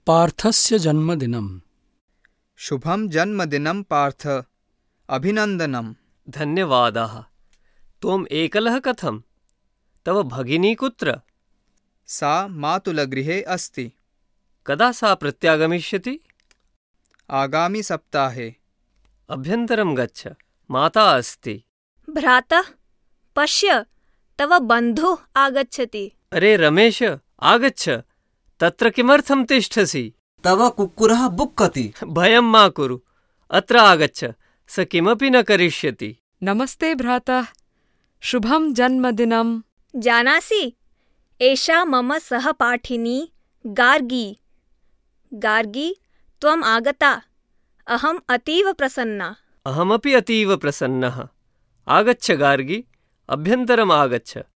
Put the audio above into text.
पार्थस्य जन्मदिनम्। शुभं जन्मदिनं पार्थ, अभिनन्दनम्। धन्यवादाः। त्वम् एकलः कथं? तव भगिनी कुत्र? सा मातुलगृहे अस्ति। कदा सा प्रत्यागमिष्यति? आगामिसप्ताहे। अभ्यन्तरं गच्छ, माता अस्ति। भ्रातः, पश्य, तव बन्धुः आगच्छति। अरे रमेश, आगच्छ। तत्र किमर्थं तिष्ठसि? तव कुक्कुरः बुक्कति। भयं मा कुरु, अत्र आगच्छ, स किमपि न करिष्यति। नमस्ते भ्रातः, शुभं जन्मदिनम्। जानासि, एषा मम सहपाठिनी गार्गी। गार्गी, त्वम् आगता। अहम् अतीव प्रसन्ना। अहमपि अतीव प्रसन्नः। आगच्छ गार्गी, अभ्यन्तरम् आगच्छ।